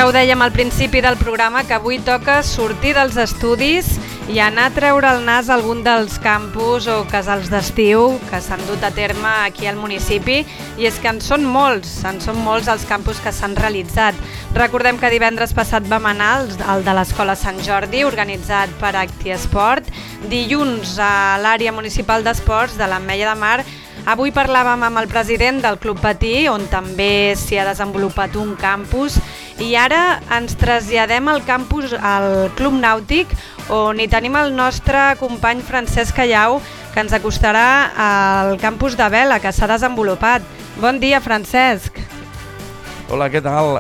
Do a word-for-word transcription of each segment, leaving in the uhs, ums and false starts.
Ja ho dèiem al principi del programa, que avui toca sortir dels estudis i anar a treure el nas a algun dels campus o casals d'estiu que s'han dut a terme aquí al municipi, i és que en són molts, en són molts els campus que s'han realitzat. Recordem que divendres passat vam anar al de l'Escola Sant Jordi, organitzat per Actiesport, dilluns a l'àrea municipal d'esports de l'Ametlla de Mar. Avui parlàvem amb el president del Club Patí, on també s'hi ha desenvolupat un campus, i ara ens traslladem al campus, al Club Nàutic, on hi tenim el nostre company Francesc Callau, que ens acostarà al campus de vela que s'ha desenvolupat. Bon dia, Francesc. Hola, què tal?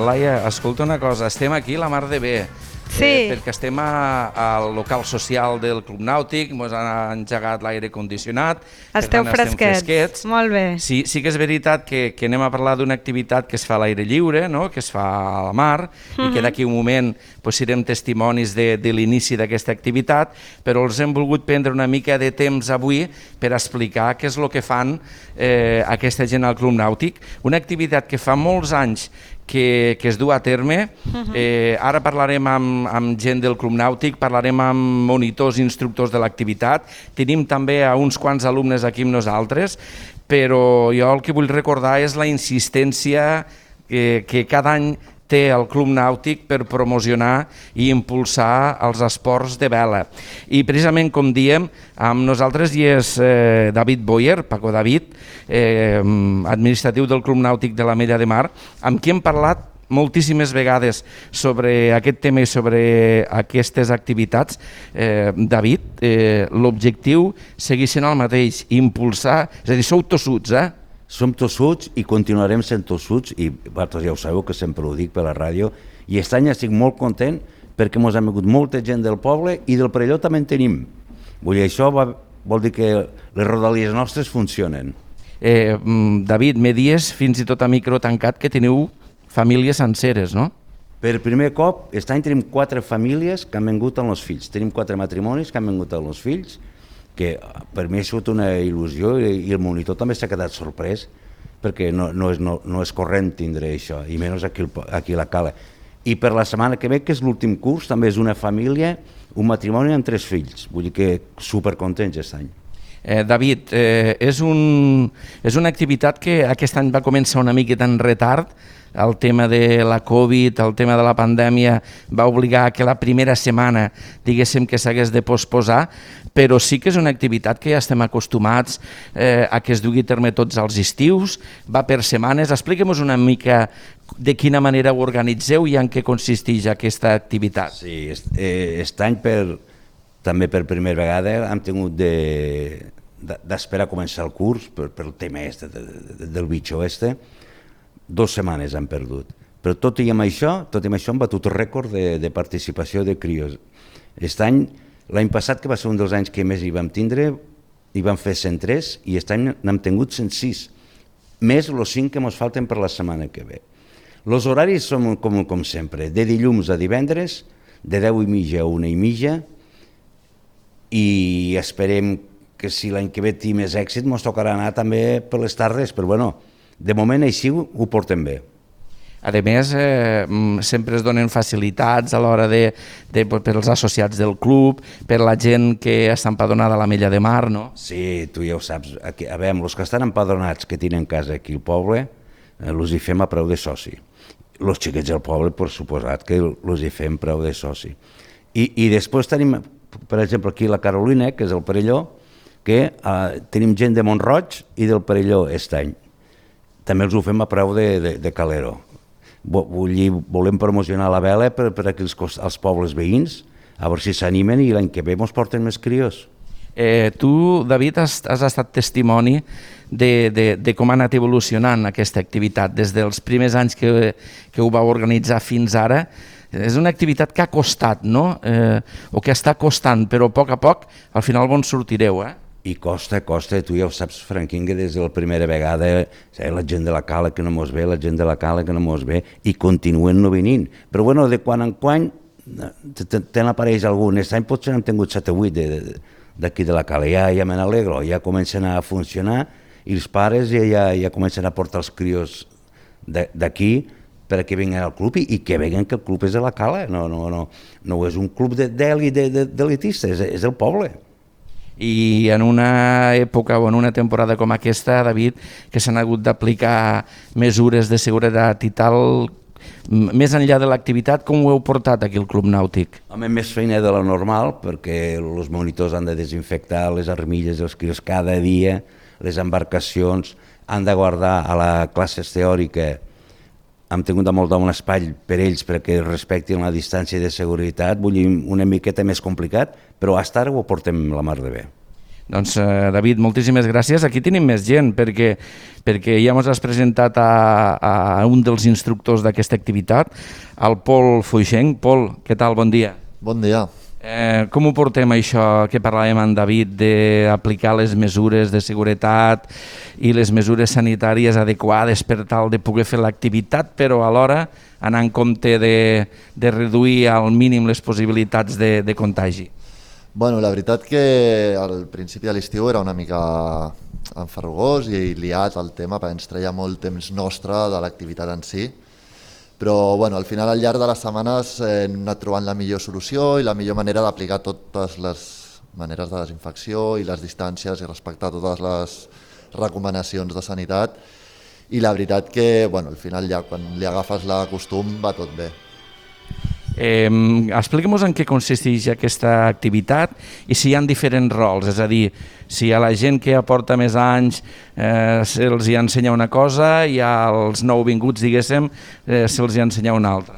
Laia, escolta una cosa, estem aquí la mar de bé. Sí. Eh, perquè estem a, al local social del Club Nàutic, ens han engegat l'aire condicionat. Esteu tant, fresquets. fresquets. Molt bé. Sí, sí que és veritat que, que anem a parlar d'una activitat que es fa a l'aire lliure, no? Que es fa a la mar, uh-huh. i que d'aquí un moment pues, serem testimonis de, de l'inici d'aquesta activitat, però els hem volgut prendre una mica de temps avui per explicar què és el que fan eh, aquesta gent al Club Nàutic. Una activitat que fa molts anys Que, que es du a terme. Uh-huh. eh, ara parlarem amb, amb gent del Club Nàutic, parlarem amb monitors i instructors de l'activitat, tenim també a uns quants alumnes aquí amb nosaltres, però jo el que vull recordar és la insistència que, que cada any té el Club Nàutic per promocionar i impulsar els esports de vela. I precisament, com diem, amb nosaltres hi és eh, David Boyer, Paco David, eh, administratiu del Club Nàutic de l'Ametlla de Mar, amb qui hem parlat moltíssimes vegades sobre aquest tema i sobre aquestes activitats. Eh, David, eh, l'objectiu segueix sent el mateix, impulsar, és a dir, sou tossuts, eh? Som tossuts i continuarem sent tossuts, i vosaltres ja ho sabeu que sempre ho dic per la ràdio, i aquest any estic molt content perquè ens ha vingut molta gent del poble i del Perelló també en tenim. Vull dir, això va, vol dir que les rodalies nostres funcionen. Eh, David, me dies fins i tot a micro tancat que teniu famílies senceres, no? Per primer cop, aquest any tenim quatre famílies que han vingut amb els fills. Tenim quatre matrimonis que han vingut amb els fills, que per mi ha sigut una il·lusió, i el monitor també s'ha quedat sorprès perquè no, no, és, no, no és corrent tindre això, i menys aquí, aquí a la Cala. I per la setmana que ve, que és l'últim curs, també és una família, un matrimoni amb tres fills, vull dir que supercontents aquest any. Eh, David, eh, és, un, és una activitat que aquest any va començar una miqueta en retard. El tema de la Covid, el tema de la pandèmia va obligar que la primera setmana diguéssim que s'hagués de posposar, però sí que és una activitat que ja estem acostumats eh, a que es dugui a terme tots els estius, va per setmanes. Expliquem-nos una mica de quina manera ho organitzeu i en què consisteix aquesta activitat. Sí, aquest any per, també per primera vegada hem tingut de, de, d'esperar a començar el curs per, per el tema este, de, de, del bitxo este. Dos setmanes han perdut, però tot i amb això, tot i amb això hem batut rècord de, de participació de crios. Aquest any, l'any passat, que va ser un dels anys que més hi vam tindre, hi vam fer cent tres i aquest any n'hem tingut cent sis, més els cinc que ens falten per la setmana que ve. Els horaris són com, com sempre, de dilluns a divendres, de deu i mitja a una i mitja, i esperem que si l'any que ve té més èxit ens tocarà anar també per les tardes, però bueno, de moment així ho portem bé. A més, eh, sempre es donen facilitats a l'hora de, de, per als associats del club, per la gent que està empadronada a l'Ametlla de Mar, no? Sí, tu ja ho saps. Aquí, a veure, els que estan empadronats que tenen casa aquí al poble, eh, els hi fem a preu de soci. Els xiquets del poble, per suposat, que els hi fem preu de soci. I, i després tenim, per exemple, aquí la Carolina, que és el Perelló, que eh, tenim gent de Montroig i del Perelló aquest any. També els ho fem a preu de, de, de calero. Vull dir, volem promocionar la vela per, per aquí els, els pobles veïns, a veure si s'animen i l'any que ve ens porten més crios. Eh, tu, David, has, has estat testimoni de, de, de com ha anat evolucionant aquesta activitat des dels primers anys que, que ho vau organitzar fins ara. És una activitat que ha costat, no? Eh, o que està costant, però a poc a poc al final bon sortireu, eh? I costa, costa, tu ja ho saps, Franquín, que des de la primera vegada eh, la gent de la Cala que no mos ve, la gent de la Cala que no mos ve, i continuen no venint. Però bueno, de quan en quan te n'apareix algun. Aquest any potser n'hem tingut set o vuit d'aquí de la Cala, ja, ja me n'alegro, ja comencen a funcionar i els pares ja, ja, ja comencen a portar els crios d'aquí per a que vinguen al club i, i que veguen que el club és de la Cala, no, no, no, no és un club d'èlit d'elitista, és, és el poble. I en una època o en una temporada com aquesta, David, que s'han hagut d'aplicar mesures de seguretat i tal, més enllà de l'activitat, com ho heu portat aquí al Club Nàutic? Home, més feina de la normal, perquè els monitors han de desinfectar les armilles, els crios cada dia, les embarcacions han de guardar a la classes teòrica. Hem tingut de molt un espai per ells perquè respectin la distància de seguretat, vull dir, una miqueta més complicat, però fins ara ho portem la mar de bé. Doncs, eh, David, moltíssimes gràcies. Aquí tenim més gent, perquè, perquè ja ens has presentat a, a un dels instructors d'aquesta activitat, el Pol Foixenc. Pol, què tal? Bon dia. Bon dia. Eh, com ho portem això que parlàvem amb David d'aplicar les mesures de seguretat i les mesures sanitàries adequades per tal de poder fer l'activitat, però alhora anar en compte de, de reduir al mínim les possibilitats de, de contagi? Bueno, la veritat que al principi de l'estiu era una mica enferrugós i liat el tema perquè ens treia molt temps nostre de l'activitat en si, però bueno, al final al llarg de les setmanes hem anat trobant la millor solució i la millor manera d'aplicar totes les maneres de desinfecció i les distàncies i respectar totes les recomanacions de sanitat, i la veritat que bueno, al final ja quan li agafes la costum va tot bé. Eh, Expliquem-nos en què consisteix aquesta activitat i si hi ha diferents rols, és a dir, si a la gent que aporta més anys eh, se'ls hi ensenya una cosa i als nouvinguts, diguéssim, eh, se'ls hi ensenya una altra.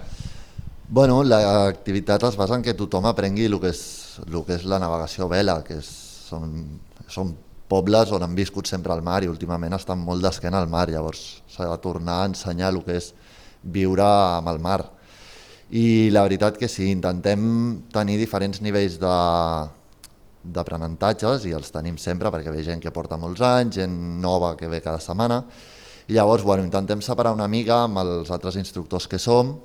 Bueno, l'activitat es basa en que tothom aprengui el que és, el que és la navegació a vela, que és, són, són pobles on han viscut sempre al mar i últimament estan molt d'esquena al mar, llavors s'ha de tornar a ensenyar el que és viure amb el mar. I la veritat que sí, intentem tenir diferents nivells d'aprenentatges i els tenim sempre perquè ve gent que porta molts anys, gent nova que ve cada setmana, i llavors bueno, intentem separar una mica amb els altres instructors que som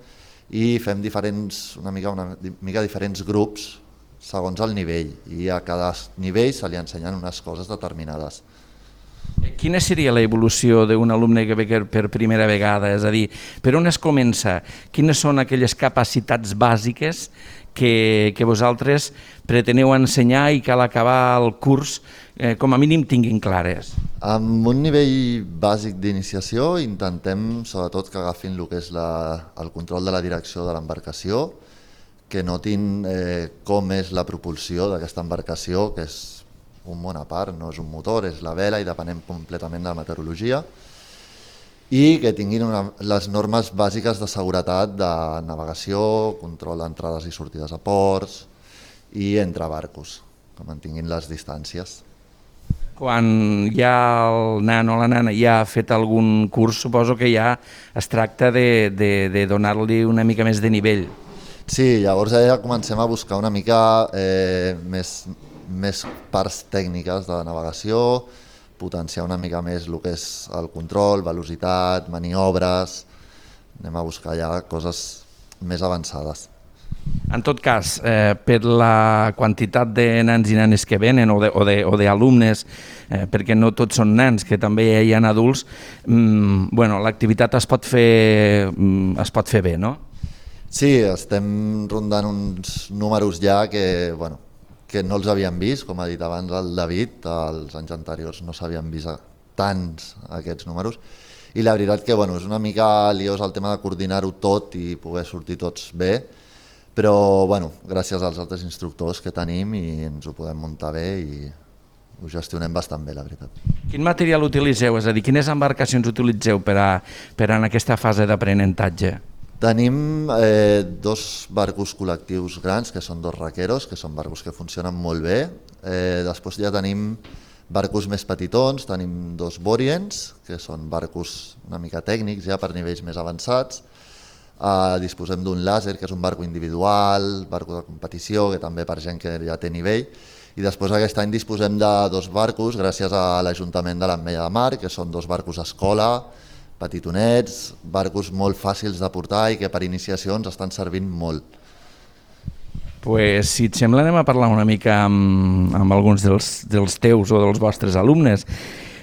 i fem diferents, una mica, una mica diferents grups segons el nivell, i a cada nivell se li ensenyen unes coses determinades. Quina seria l'evolució d'un alumne que ve per primera vegada? És a dir, per on es comença? Quines són aquelles capacitats bàsiques que, que vosaltres preteneu ensenyar i que a l'acabar el curs eh, com a mínim tinguin clares? Amb un nivell bàsic d'iniciació intentem sobretot que agafin el que és la, el control de la direcció de l'embarcació, que notin eh, com és la propulsió d'aquesta embarcació, que és un món a part, no és un motor, és la vela i depenem completament de la meteorologia, i que tinguin una, les normes bàsiques de seguretat de navegació, control d'entrades i sortides a ports i entre barcos, que mantinguin les distàncies. Quan ja el nan o la nana ja ha fet algun curs, suposo que ja es tracta de, de, de donar-li una mica més de nivell. Sí, llavors ja comencem a buscar una mica eh, més... més parts tècniques de navegació, potenciar una mica més el que és el control, velocitat, maniobres, anem a buscar ja coses més avançades. En tot cas, eh, per la quantitat de nans i nenes que venen o d'alumnes, eh, perquè no tots són nans, que també hi ha adults, mmm, bueno, l'activitat es pot fer, mm, es pot fer bé, no? Sí, estem rondant uns números ja que, bueno, que no els havíem vist, com ha dit abans el David, els anys anteriors no s'havien vist tants aquests números, i la veritat que bueno, és una mica liós el tema de coordinar-ho tot i poder sortir tots bé, però bueno, gràcies als altres instructors que tenim i ens ho podem muntar bé i ho gestionem bastant bé, la veritat. Quin material utilitzeu? És a dir, quines embarcacions utilitzeu per a, per a en aquesta fase d'aprenentatge? Tenim eh, dos barcos col·lectius grans, que són dos raqueros, que són barcos que funcionen molt bé. Eh, després ja tenim barcos més petitons, tenim dos Boriens, que són barcos una mica tècnics ja per nivells més avançats. Eh, disposem d'un làser, que és un barco individual, barco de competició, que també per gent que ja té nivell. I després aquest any disposem de dos barcos, gràcies a l'Ajuntament de l'Ametlla de Mar, que són dos barcos escola, petitonets, barcos molt fàcils de portar i que per iniciacions estan servint molt. Pues, si et sembla, anem a parlar una mica amb, amb alguns dels, dels teus o dels vostres alumnes.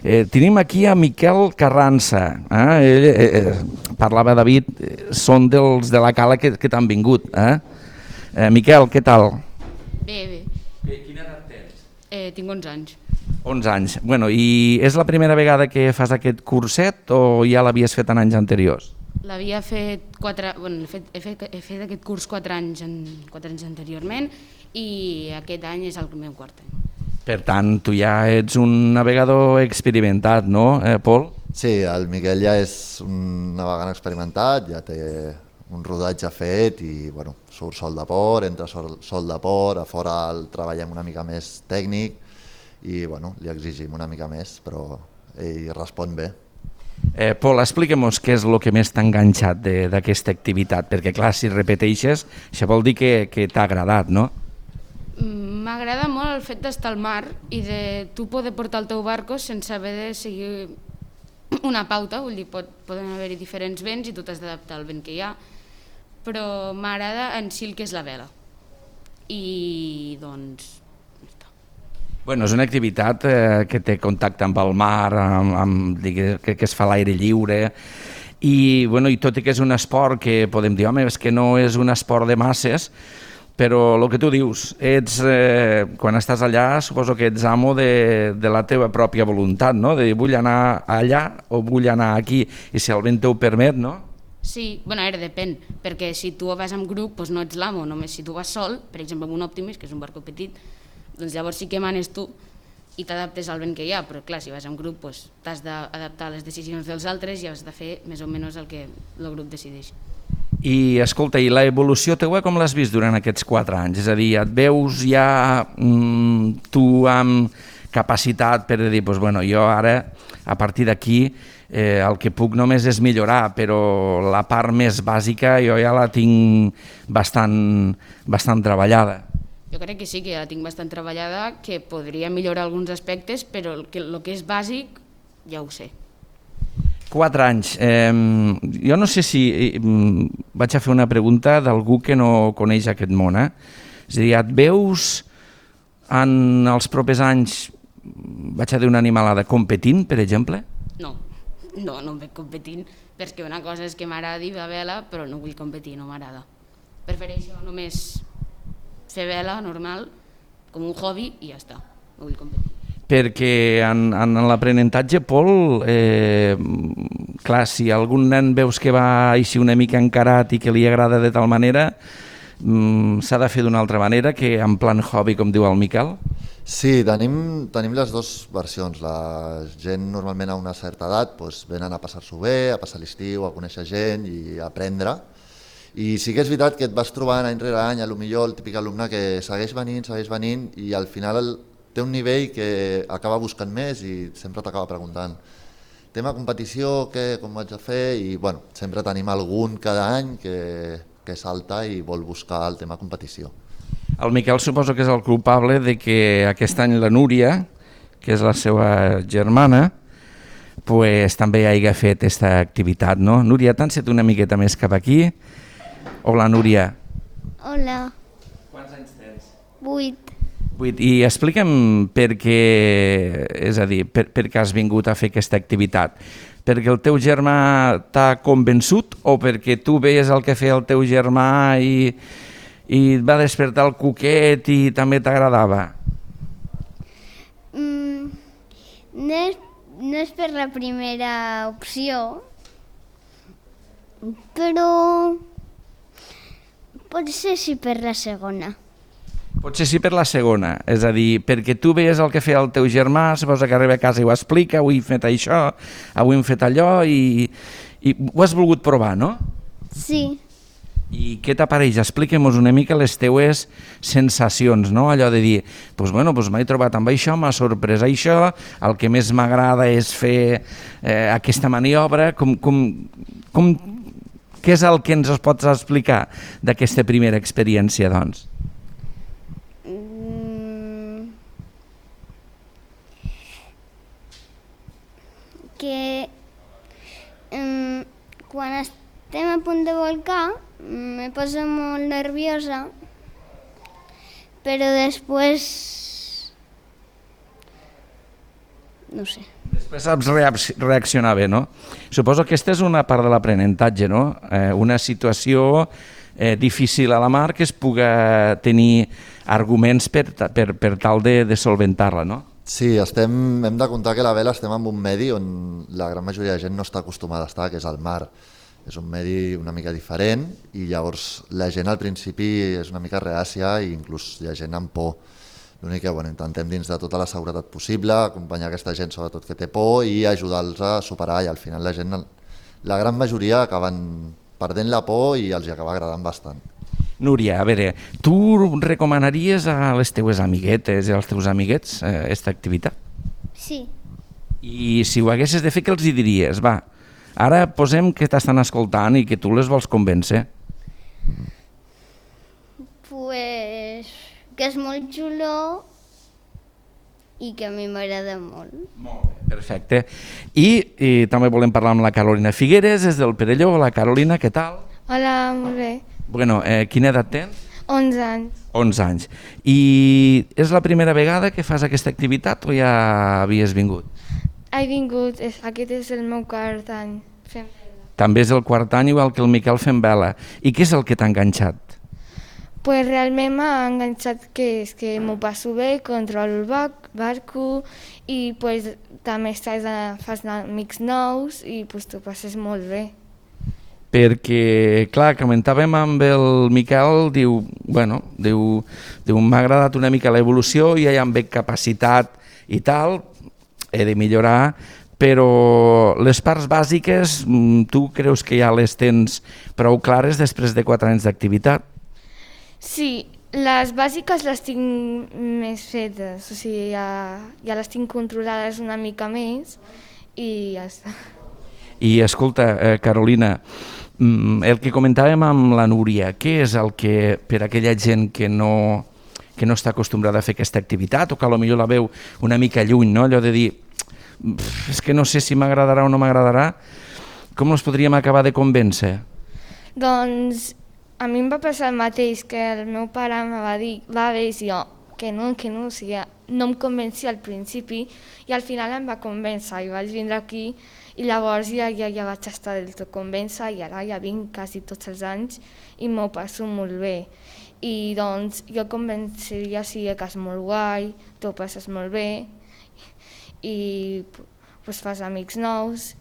Eh, tenim aquí a Miquel Carranza. Eh? Ell, eh, parlava David, són dels de la cala que, que t'han vingut. Eh? Eh, Miquel, què tal? Bé, bé. Quina edat tens? Eh, tinc onze anys. onze anys. Bueno, i és la primera vegada que fas aquest curset o ja l'havies fet en anys anteriors? L'havia fet quatre... Bueno, he fet, he fet, he fet aquest curs quatre anys, en, quatre anys anteriorment i aquest any és el meu quart any. Per tant, tu ja ets un navegador experimentat, no, eh, Pol? Sí, el Miquel ja és un navegant experimentat, ja té un rodatge fet i bueno, surt sol de port, entra sol, sol de port, a fora el treballem una mica més tècnic i bueno, li exigim una mica més, però ell respon bé. Eh, Pol, explica'm-nos què és el que més t'ha enganxat d'aquesta activitat, perquè clar, si repeteixes, això vol dir que, que t'ha agradat, no? M'agrada molt el fet d'estar al mar i de tu poder portar el teu barco sense haver de seguir una pauta, vull dir, pot, poden haver-hi diferents vents i tu t'has d'adaptar al vent que hi ha, però m'agrada en si el que és la vela. I doncs... Bueno, és una activitat eh, que té contacte amb el mar, amb, amb, que, que es fa a l'aire lliure, i, bueno, i tot i que és un esport que podem dir, home, és que no és un esport de masses, però el que tu dius, ets, eh, quan estàs allà suposo que ets amo de, de la teva pròpia voluntat, no? De vull anar allà o vull anar aquí, i si el vent ho permet, no? Sí, bueno, ara depèn, perquè si tu vas amb grup doncs no ets l'amo, només si tu vas sol, per exemple amb un Optimus, que és un barco petit, doncs llavors sí que manes tu i t'adaptes al vent que hi ha, però clar, si vas amb grup doncs t'has d'adaptar a les decisions dels altres i has de fer més o menys el que el grup decideix. I escolta, i la evolució teua com l'has vist durant aquests quatre anys? És a dir, et veus ja mm, tu amb capacitat per dir, doncs, bueno, jo ara a partir d'aquí eh, el que puc només és millorar, però la part més bàsica jo ja la tinc bastant, bastant treballada. Jo crec que sí, que ja la tinc bastant treballada, que podria millorar alguns aspectes, però el que, el que és bàsic ja ho sé. Quatre anys. Eh, jo no sé si... Eh, vaig a fer una pregunta d'algú que no coneix aquest món. Eh? És a dir, et veus en els propers anys, vaig a dir una animalada, competint, per exemple? No, no, no em veig competint, perquè una cosa és que m'agradi la vela, però no vull competir, no m'agrada. Prefereixo només fer vela normal, com un hobby, i ja està, no vull competir. Perquè en, en l'aprenentatge, Pol, eh, clar, si algun nen veus que va així una mica encarat i que li agrada de tal manera, mm, s'ha de fer d'una altra manera que en plan hobby, com diu el Miquel? Sí, tenim, tenim les dues versions. La gent normalment a una certa edat doncs, venen a passar-s'ho bé, a passar l'estiu, a conèixer gent i a aprendre. I sí que és veritat que et vas trobant any rere any, a lo millor el típic alumne que segueix venint, segueix venint i al final el, té un nivell que acaba buscant més i sempre t'acaba preguntant tema competició, què, com vaig a fer, i bueno, sempre tenim algun cada any que, que salta i vol buscar el tema competició. El Miquel suposo que és el culpable de que aquest any la Núria, que és la seva germana, pues, també hagi fet aquesta activitat, no? Núria, t'han set una miqueta més cap aquí? Hola, Núria. Hola. Quants anys tens? Vuit. I explica'm per què, és a dir, per, per què has vingut a fer aquesta activitat. Perquè el teu germà t'ha convençut o perquè tu veies el que feia el teu germà i, i et va despertar el cuquet i també t'agradava? Mm, no, és, no és per la primera opció, però potser sí per la segona. Potser sí per la segona, és a dir, perquè tu veies el que feia el teu germà, suposa que arriba a casa i ho explica, avui hem fet això, avui hem fet allò, i, i ho has volgut provar, no? Sí. I què t'apareix? Expliquem-nos una mica les teues sensacions, no? Allò de dir, doncs bueno, doncs m'he trobat amb això, m'ha sorprès això, el que més m'agrada és fer eh, aquesta maniobra, com, com, com, què és el que ens pots explicar d'aquesta primera experiència, doncs? Que um, quan estem a punt de volcar me poso molt nerviosa, però després no sé. Després saps reaccionar bé, no? Suposo que aquesta és una part de l'aprenentatge, no? Eh, una situació eh, difícil a la mar que es puga tenir arguments per, per, per tal de, de solventar-la, no? Sí, estem, hem de comptar que a la vela estem en un medi on la gran majoria de gent no està acostumada a estar, que és el mar. És un medi una mica diferent i llavors la gent al principi és una mica reàcia i inclús hi ha gent amb por. L'únic que bueno, intentem dins de tota la seguretat possible, acompanyar aquesta gent sobretot que té por i ajudar-los a superar i al final la gent, la gran majoria acaben perdent la por i els hi acaba agradant bastant. Núria, a veure, tu recomanaries a les teues amiguetes i als teus amiguets aquesta eh, activitat? Sí. I si ho haguessis de fer, què els hi diries? Va, ara posem que t'estan escoltant i que tu les vols convèncer. Pues que és molt xulo i que a mi m'agrada molt. Molt bé, perfecte. I, I també volem parlar amb la Carolina Figueres, des del Perelló. Hola Carolina, què tal? Hola, molt bé. Bueno, eh, quina edat tens? onze anys. onze anys. I és la primera vegada que fas aquesta activitat o ja havies vingut? He vingut, és, aquest és el meu quart any fent vela. També és el quart any igual que el Miquel fent vela. I què és el que t'ha enganxat? Pues realment m'ha enganxat que és que m'ho passo bé, controlo el bar barco i pues, també estàs a, fas amics nous i pues, t'ho passes molt bé. Perquè, clar, comentàvem amb el Miquel, diu, bueno, diu, diu m'ha agradat una mica l'evolució, ja hi ha veig capacitat i tal, he de millorar, però les parts bàsiques tu creus que ja les tens prou clares després de quatre anys d'activitat? Sí, les bàsiques les tinc més fetes, o sigui, ja, ja les tinc controlades una mica més i ja està. I escolta, eh, Carolina, el que comentàvem amb la Núria, què és el que per aquella gent que no, que no està acostumbrada a fer aquesta activitat o que potser la veu una mica lluny, no? Allò de dir, és que no sé si m'agradarà o no m'agradarà, com els podríem acabar de convèncer? Doncs a mi em va passar el mateix, que el meu pare em va dir, va bé, i jo, que no, que no, o sigui, no em convencia al principi i al final em va convèncer i vaig vindre aquí i llavors ja, ja, ja vaig estar del tot convèncer i ara ja vinc quasi tots els anys i m'ho passo molt bé. I doncs jo convenceria sí, que és molt guai, t'ho passes molt bé i pues, fas amics nous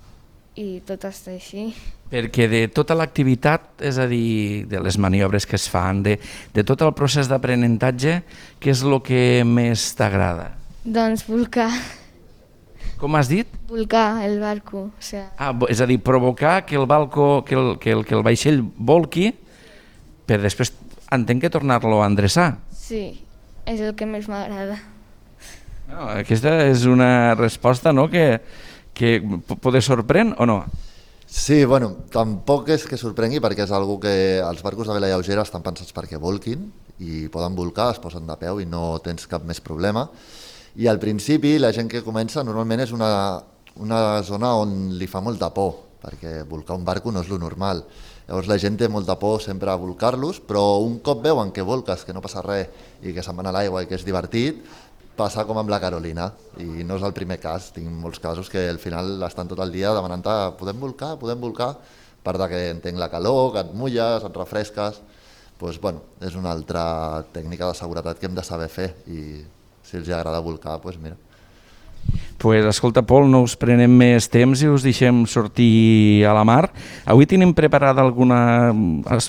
i tot està així. Perquè de tota l'activitat, és a dir, de les maniobres que es fan, de, de tot el procés d'aprenentatge, què és el que més t'agrada? Doncs volcar. Com has dit? Volcar el barco. O sigui... Ah, és a dir, provocar que el, balco, que el, que el, que el vaixell volqui per després, entenc que tornar-lo a endreçar. Sí, és el que més m'agrada. No, aquesta és una resposta, no?, que, que poder sorprèn o no? Sí, bueno, tampoc és que sorprengui perquè és algo que els barcos de vela lleugera estan pensats perquè volquin i poden volcar, es posen de peu i no tens cap més problema. I al principi la gent que comença normalment és una, una zona on li fa molta por, perquè volcar un barco no és lo normal. Llavors la gent té molta por sempre a volcar-los, però un cop veuen que volques, que no passa res i que se'n van a l'aigua i que és divertit, passa com amb la Carolina, i no és el primer cas, tinc molts casos que al final estan tot el dia demanant-te podem volcar, podem volcar, per que entenc la calor, que et mulles, et refresques, doncs, bueno, és una altra tècnica de seguretat que hem de saber fer i si els agrada volcar, doncs mira. Pues, escolta, Pol, no us prenem més temps i us deixem sortir a la mar. Avui tenim preparada alguna...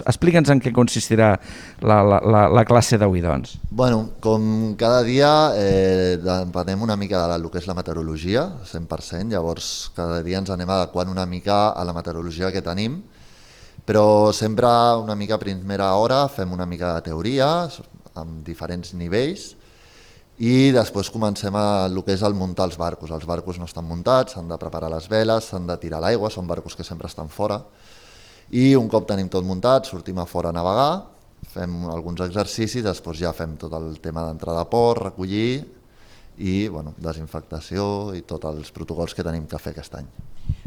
Explica'ns en què consistirà la, la, la, la classe d'avui, doncs. Bueno, com cada dia eh, depenem una mica de lo que és la meteorologia, cent per cent, llavors cada dia ens anem adequant una mica a la meteorologia que tenim, però sempre una mica a primera hora fem una mica de teoria amb diferents nivells i després comencem a el que és el muntar els barcos. Els barcos no estan muntats, s'han de preparar les veles, s'han de tirar a l'aigua, són barcos que sempre estan fora. I un cop tenim tot muntat, sortim a fora a navegar, fem alguns exercicis, després ja fem tot el tema d'entrada a port, recollir i bueno, desinfectació i tots els protocols que tenim que fer aquest any.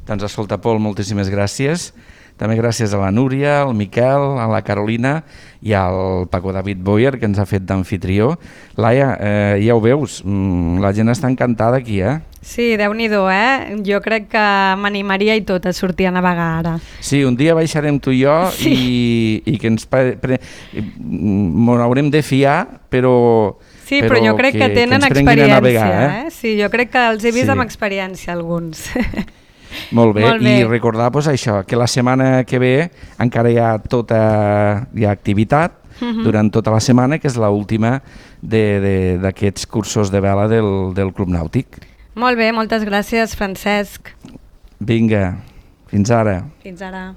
Doncs escolta, Pol, moltíssimes gràcies. també gràcies a la Núria, al Miquel, a la Carolina i al Paco David Boyer, que ens ha fet d'anfitrió. Laia, eh, ja ho veus, la gent està encantada aquí, eh? Sí, Déu-n'hi-do, eh? Jo crec que m'animaria i tot a sortir a navegar ara. Sí, un dia baixarem tu i jo sí. i, i que ens pre... pre... m'ho haurem de fiar, però... Sí, però, però jo crec que, que tenen que experiència. Navegar, eh? Eh? Sí, jo crec que els he vist sí. amb experiència, alguns. Molt bé, Molt bé. I recordar pues, això, que la setmana que ve encara hi ha tota hi ha activitat uh-huh. durant tota la setmana, que és l'última d'aquests cursos de vela del, del Club Nàutic. Molt bé, moltes gràcies, Francesc. Vinga, fins ara. Fins ara.